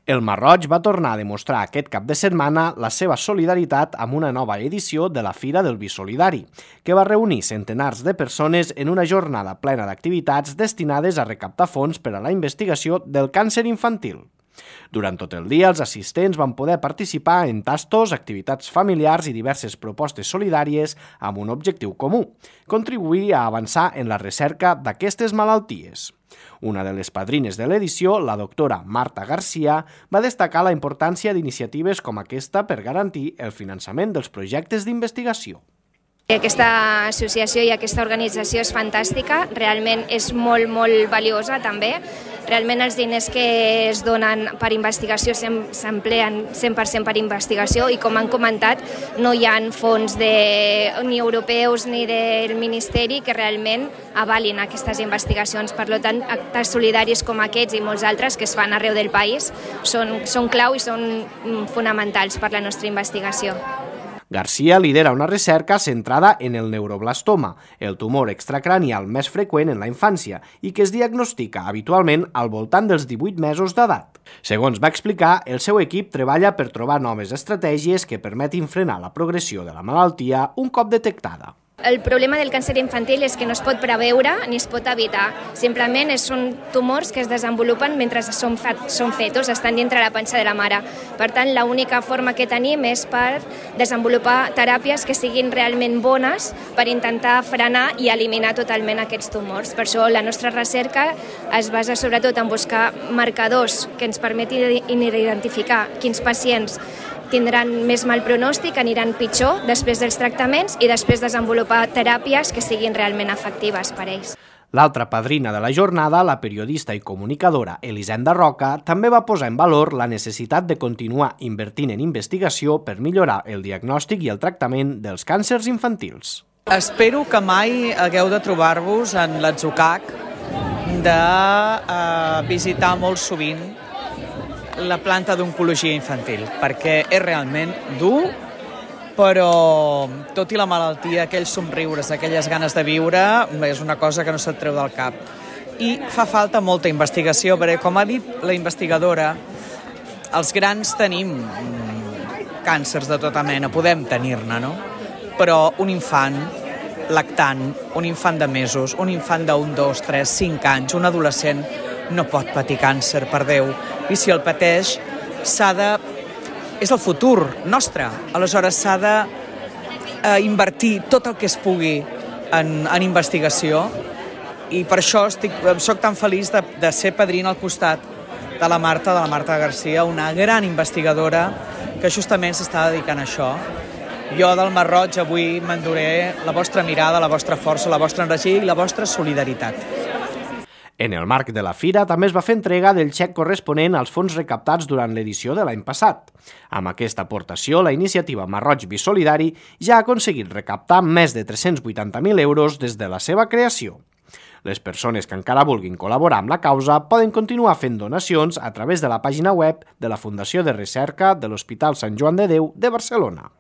El Marroig va tornar a demostrar aquest cap de setmana la seva solidaritat amb una nova edició de la Fira del Vi Solidari, que va reunir centenars de persones en una jornada plena d'activitats destinades a recaptar fons per a la investigació del càncer infantil. Durant tot el dia, els assistents van poder participar en tastos, activitats familiars i diverses propostes solidàries amb un objectiu comú: contribuir a avançar en la recerca d'aquestes malalties. Una de les padrines de l'edició, la doctora Marta Garcia, va destacar la importància d'iniciatives com aquesta per garantir el finançament dels projectes d'investigació. Aquesta associació i aquesta organització és fantàstica, realment és molt valiosa també. Realment els diners que es donen per investigació s'empleen 100% per investigació i, com han comentat, no hi ha fons ni europeus ni del Ministeri que realment avalin aquestes investigacions. Per tant, actes solidaris com aquests i molts altres que es fan arreu del país són clau i són fonamentals per la nostra investigació. Garcia lidera una recerca centrada en el neuroblastoma, el tumor extracranial més freqüent en la infància i que es diagnostica habitualment al voltant dels 18 mesos d'edat. Segons va explicar, el seu equip treballa per trobar noves estratègies que permetin frenar la progressió de la malaltia un cop detectada. El problema del càncer infantil és que no es pot preveure ni es pot evitar. Simplement són tumors que es desenvolupen mentre són fetos, estan dintre la panxa de la mare. Per tant, l'única forma que tenim és per desenvolupar teràpies que siguin realment bones per intentar frenar i eliminar totalment aquests tumors. Per això la nostra recerca es basa sobretot en buscar marcadors que ens permetin identificar quins pacients tindran més mal pronòstic, aniran pitjor després dels tractaments i després desenvolupar teràpies que siguin realment efectives per a ells. L'altra padrina de la jornada, la periodista i comunicadora Elisenda Roca, també va posar en valor la necessitat de continuar invertint en investigació per millorar el diagnòstic i el tractament dels càncers infantils. Espero que mai hagueu de trobar-vos en l'Atzucac de visitar molt sovint la planta d'oncologia infantil, perquè és realment dur, però tot i la malaltia, aquells somriures, aquelles ganes de viure, és una cosa que no se't treu del cap. I fa falta molta investigació, perquè, com ha dit la investigadora, els grans tenim càncers de tota mena, podem tenir-ne, no? Però un infant lactant, un infant de mesos, un infant d'1, 2, 3, 5 anys, un adolescent, no pot patir càncer, per Déu. I si el pateix, és el futur nostre. Aleshores, s'ha d'invertir tot el que es pugui en investigació i per això soc tan feliç de ser padrina al costat de la Marta Garcia, una gran investigadora que justament s'està dedicant a això. Jo del Marroig avui m'enduré la vostra mirada, la vostra força, la vostra energia i la vostra solidaritat. En el marc de la fira també es va fer entrega del xec corresponent als fons recaptats durant l'edició de l'any passat. Amb aquesta aportació, la iniciativa Marroig Vi Solidari ja ha aconseguit recaptar més de 380.000 euros des de la seva creació. Les persones que encara vulguin col·laborar amb la causa poden continuar fent donacions a través de la pàgina web de la Fundació de Recerca de l'Hospital Sant Joan de Déu de Barcelona.